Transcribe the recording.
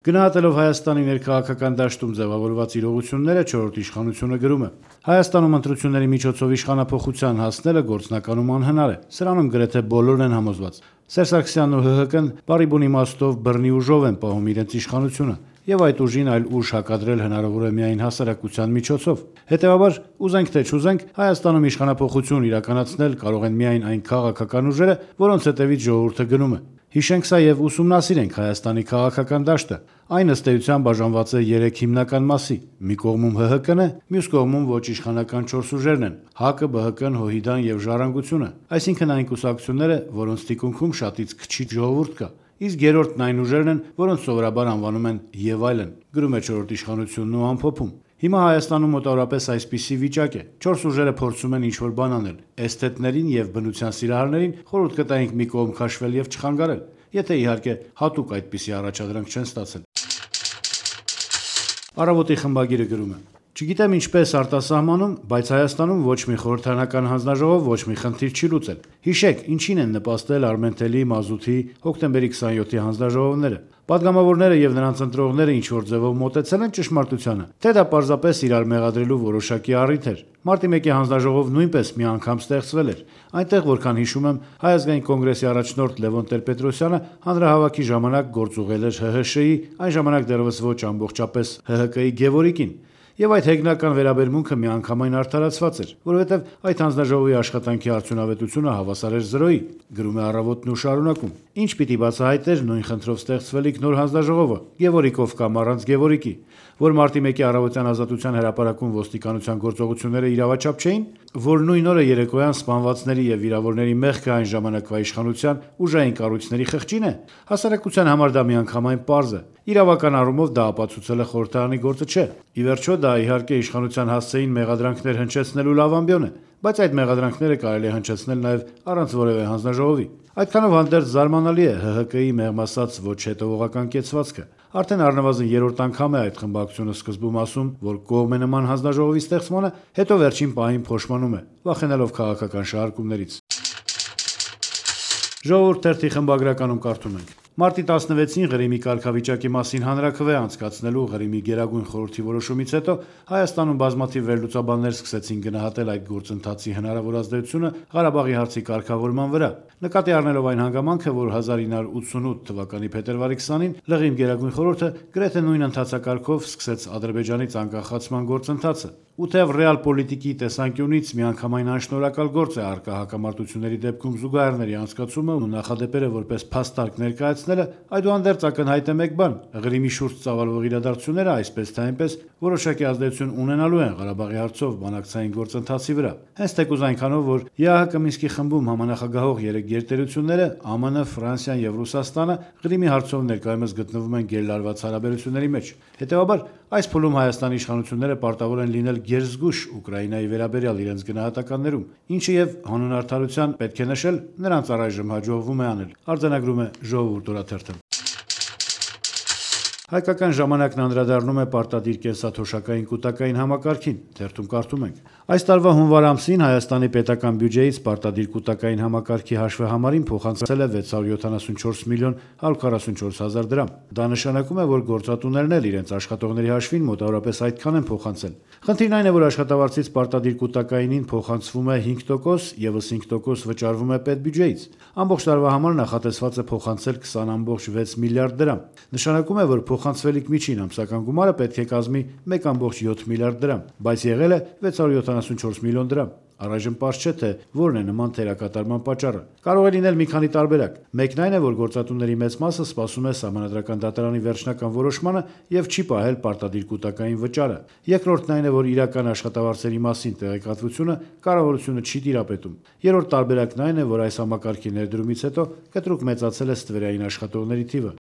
Գնահատելով Հայաստանի ներքաղաքական դաշտում ձևավորված իրողությունները, չորրորդ իշխանությունը գրում է. Հայաստանում ընտրությունների միջոցով իշխանափոխության հասնելը գործնականում անհնար է, սրանում գրեթե բոլորն են համոզված։ Սերժ Սարգսյանն ու ՀՀԿ-ն բառի բուն իմաստով բռնի ուժով են պահում իրենց իշխանությունը, եւ այդ ուժին այլ ուժ հակադրել հնարավոր է միայն հասարակության միջոցով։ Հետեւաբար, ուզենք թե չուզենք, Հայաստանում իշխանափոխություն իրականացնել կարող են միայն այն քաղաքական ուժերը, որոնց հետևից ժողովուրդը գնում է։ Հիշենք սա եւ ուսումնասիրենք Հայաստանի քաղաքական դաշտը։ Այն ըստ էության բաժանված է 3 հիմնական մասի։ Մի կողմում ՀՀԿ-ն է, մյուս կողմում ոչ իշխանական 4 ուժերն են՝ ՀԱԿ-ը, ԲՀԿ-ն, ՀՅԴ-ն եւ Ժառանգությունը, այսինքն այն կուսակցությունները, որոնց թիկունքում շատից քչի ժողովուրդ կա։ Իսկ երրորդն այն ուժերն են, որոնց սովորաբար անվանում են եւ այլն, գրում է չորրորդ իշխանությունն ու ամփոփում։ Հիմա Հայաստանում մոտավորապես այսպիսի վիճակ է. 4 ուժերը փորձում են ինչ-որ բան անել։ Էսթետներին եւ բնության սիրահարներին խորհուրդ կտայինք մի կողմ քաշվել եւ չխանգարել, եթե իհարկե հատուկ այդպիսի առաջադրանք չեն ստացել։ Առավոտի խմբագիրը գրում է. Չգիտեմ ինչպես արտասահմանում, բայց Հայաստանում ոչ մի խորհրդարանական հանձնաժողով ոչ մի խնդիր չի լուծել։ Հիշեք, ինչին են նպաստել Արմենտելի, Մազութի, հոկտեմբերի 27-ի հանձնաժողովները։ Պատգամավորները եւ նրանց ընտրողները ինչ-որ ձևով մոտեցել են ճշմարտությանը, թե դա պարզապես իրար մեղադրելու որոշակի առիթ էր։ Մարտի 1-ի հանձնաժողով նույնպես մի անգամ ստեղծվել էր։ Այնտեղ, որքան հիշում եմ, Հայ ազգային կոնգրեսի առաջնորդ Լևոն Տեր-Պետրոսյանը հանրահավաքի ժամանակ գործուղել էր ՀՀՇ-ի, այն ժամանակ դեռևս ոչ ամբողջապես ՀՀԿ-ի Գևորգին։ Եվ այդ հեգնական վերաբերմունքը միանգամայն արդարացված էր, որովհետև այդ հանձնաժողովի աշխատանքի արդյունավետությունը հավասար էր 0-ի, գրում է Առավոտն ու շարունակում։ Ինչ պիտի բացահայտեր նույն խնդրով ստեղծվելիք նոր հանձնաժողովը, Գևորգով կամ առանց Գևորգի, որ մարտի 1-ի առավոտյան ազատության հրապարակում ոստիկանության գործողությունները իրավաչափ չէին, որ նույն օրը երեկոյան սպանվածների եւ վիրավորների մեղքը այն ժամանակվա իշխանության ուժային կառույցների խղճին է։ Հասարակության համար դա միանգամայն պարզ է։ Իրավական առումով դա ապացուցել է խորհրդարանի գործը չէ։ Ի վերջո դա իհարկե իշխանության հասցեին մեղադրանքներ հնչեցնելու լավ ամբիոն է, բայց այդ մեղադրանքները կարելի է հնչեցնել նաև առանց որևէ հանձնաժողովի։ Այդքանով հանդերձ զարմանալի է ՀՀԿ-ի մեղմ ասած ոչ հետևողական կեցվածքը։ Արդեն առնվազն երրորդ անգամ է այդ խմբակցությունը սկզբում ասում, որ կողմ է նման հանձնաժողովի ստեղծմանը, հետո վերջին պահին փոշմանում է, վախենալով քաղաքական շահարկումներից։ Ժողովուրդ թերթի խմբագրականում կարդում ենք. Մարտի 16-ին Ղրիմի կարգավիճակի մասին հանրաքվե անցկացնելու Ղրիմի Գերագույն խորհրդի որոշումից հետո Հայաստանում բազմաթիվ վերլուծաբաններ սկսեցին գնահատել այդ գործընթացի հնարավոր ազդեցությունը Ղարաբաղի հարցի կարգավորման վրա, նկատի առնելով այն հանգամանքը, որ 1988 թվականի փետրվարի 20-ին Ղրիմ Գերագույն խորհուրդը գրեթե նույն ընթացակարգով սկսեց Ադրբեջանից անկախացման գործընթացը։ Ու թեև ռեալ պոլիտիկի տեսանկյունից միանգամայն անշնորհակալ գործ է առկա հակամարտությունների դեպքում զուգահեռների անցկացումը ու նախադեպերը որպես փաստարկ ներկայացնելը, այդուհանդերձ ակնհայտ է մեկ բան. Ղրիմի շուրջ ծավալվող իրադարձությունները այսպես թե այնպես որոշակի ազդեցություն ունենալու են Ղարաբաղի հարցով բանակցային գործընթացի վրա։ Հենց թեկուզ այնքանով, որ ԵԱՀԿ Մինսկի խմբում համանախագահող 3 գերտերությունները ԱՄՆ, Ֆրանսիան եւ Ռուսաստանը Ղրիմի հարցով ներկայումս գտնվում են գերլարված հարաբերությունների մեջ։ Հետեւաբար այս փուլում Հայաստանի իշխանությունները պարտավոր են լինել գերզգույշ Ուկրաինայի վերաբերյալ իրենց գնահատականներում, ինչը եւ հանուն արդարության պետք է նշել, նրանց առայժմ հաջողվում է անել, արձանագրում է Ժողովուրդ օրաթերթը։ Հայկական ժամանակն անդրադառնում է պարտադիր կենսաթոշակային կուտակային համակարգին, թերթում կարդում ենք. Այս տարվա հունվար ամսին Հայաստանի պետական բյուջեից պարտադիր կուտակային համակարգի հաշվեհամարին փոխանցել է 674 միլիոն 144 հազար դրամ։ Դա նշանակում է, որ գործատուներն էլ իրենց աշխատողների հաշվին մոտավորապես այդքան են փոխանցել։ Խնդիրն այն է, որ աշխատավարձից պարտադիր կուտակայինին փոխանցվում է 5%, եւս 5% վճարվում է պետբյուջեից։ Ամբողջ տարվա համար նախատեսված է փոխանցել 20.6 միլիարդ դրամ։ Նշանակում է, որ փոխանցվելիք միջին ամսական գումարը պետք է կազմի 1.7 միլիարդ դրամ, բայց եղել է 674 միլիոն դրամ։ Առայժմ պարզ չէ, թե որն է նման թերակատարման պատճառը։ Կարող է լինել մի քանի տարբերակ։ Մեկն այն է, որ գործատուների մեծ մասը սպասում է Սահմանադրական դատարանի վերջնական որոշմանը եւ չի պահել պարտադիր կուտակային վճարը։ Երկրորդն այն է, որ իրական աշխատավարձերի մասին տեղեկատվությունը կառավարությունը չի տիրապետում։ Երրորդ տարբերակն այն է, որ այս համակարգի ներդրումից հետո կտրուկ մեծացել է ստվերային աշխատողների թիվը։